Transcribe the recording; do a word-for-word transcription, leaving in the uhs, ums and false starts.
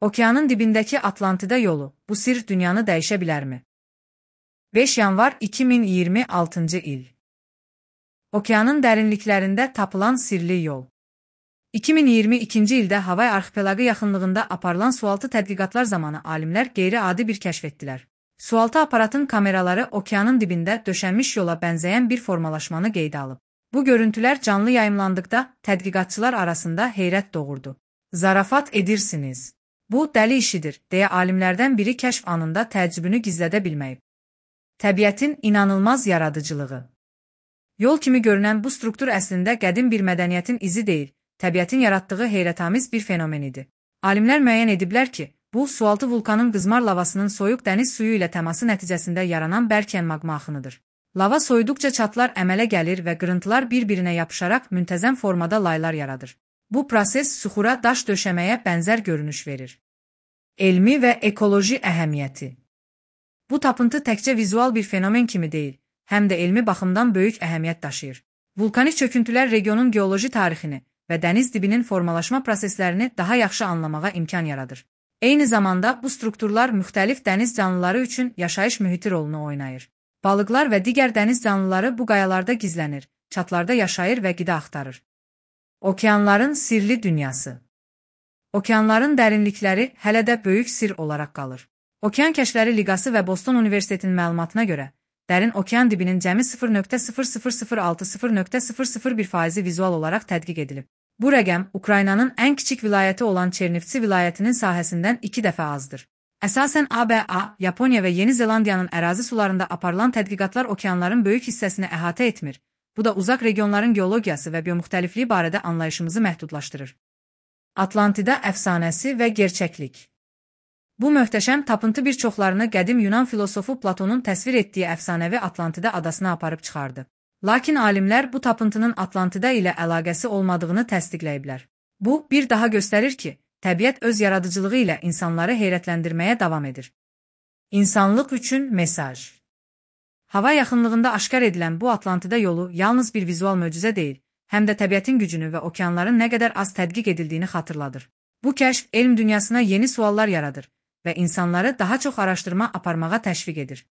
Okeanın dibindəki Atlantida yolu, bu sir dünyanı dəyişə bilərmi? beş yanvar iki min iyirmi altıncı il. Okeanın dərinliklərində tapılan sirli yol. iki min iyirmi ikinci ildə Havay arxipelaqı yaxınlığında aparılan sualtı tədqiqatlar zamanı alimlər qeyri-adi bir kəşf etdilər. Sualtı aparatın kameraları okeanın dibində döşənmiş yola bənzəyən bir formalaşmanı qeydə alıb. Bu görüntülər canlı yayımlandıqda tədqiqatçılar arasında heyrət doğurdu. Zarafat edirsiniz. Bu dəli işidir, deyə alimlərdən biri kəşf anında təəccübünü gizlədə bilməyib. Təbiətin inanılmaz yaradıcılığı. Yol kimi görünən bu struktur əslində qədim bir mədəniyyətin izi deyil, təbiətin yaratdığı heyrətamiz bir fenomen idi. Alimlər müəyyən ediblər ki, bu sualtı vulkanın qızmar lavasının soyuq dəniz suyu ilə təması nəticəsində yaranan bərkən maqma axınıdır. Lava soyuduqca çatlar əmələ gəlir və qırıntılar bir-birinə yapışaraq müntəzəm formada laylar yaradır. Bu proses suxura daş döşəməyə bənzər görünüş verir. Elmi və ekoloji əhəmiyyəti. Bu tapıntı təkcə vizual bir fenomen kimi deyil, həm də elmi baxımdan böyük əhəmiyyət daşıyır. Vulkanik çöküntülər regionun geoloji tarixini və dəniz dibinin formalaşma proseslərini daha yaxşı anlamağa imkan yaradır. Eyni zamanda bu strukturlar müxtəlif dəniz canlıları üçün yaşayış mühiti rolunu oynayır. Balıqlar və digər dəniz canlıları bu qayalarda gizlənir, çatlarda yaşayır və qida axtarır. Okeanların sirli dünyası. Okeanların dərinlikləri hələ də böyük sir olaraq qalır. Okean Kəşfləri Liqası və Boston Universitetinin məlumatına görə, dərin okean dibinin cəmi sıfır nöqtə sıfır sıfır sıfır altı sıfır nöqtə sıfır sıfır bir faizi vizual olaraq tədqiq edilib. Bu rəqəm Ukraynanın ən kiçik vilayəti olan Çernivtsi vilayətinin sahəsindən iki dəfə azdır. Əsasən A B A, Yaponiya və Yeni Zelandiyanın ərazi sularında aparılan tədqiqatlar okeanların böyük hissəsini əhatə etmir. Bu da uzaq regionların geologiyası və biomuxtəlifliyi barədə anlayışımızı məhdudlaşdırır. Atlantida əfsanəsi və gerçəklik. Bu möhtəşəm tapıntı bir çoxlarını qədim Yunan filosofu Platonun təsvir etdiyi əfsanəvi Atlantida adasına aparıb çıxardı. Lakin alimlər bu tapıntının Atlantida ilə əlaqəsi olmadığını təsdiqləyiblər. Bu, bir daha göstərir ki, təbiət öz yaradıcılığı ilə insanları heyrətləndirməyə davam edir. İnsanlıq üçün mesaj. Hava yaxınlığında aşkar edilən bu Atlantida yolu yalnız bir vizual möcüzə deyil, həm də təbiətin gücünü və okeanların nə qədər az tədqiq edildiyini xatırladır. Bu kəşf elm dünyasına yeni suallar yaradır və insanları daha çox araşdırma aparmağa təşviq edir.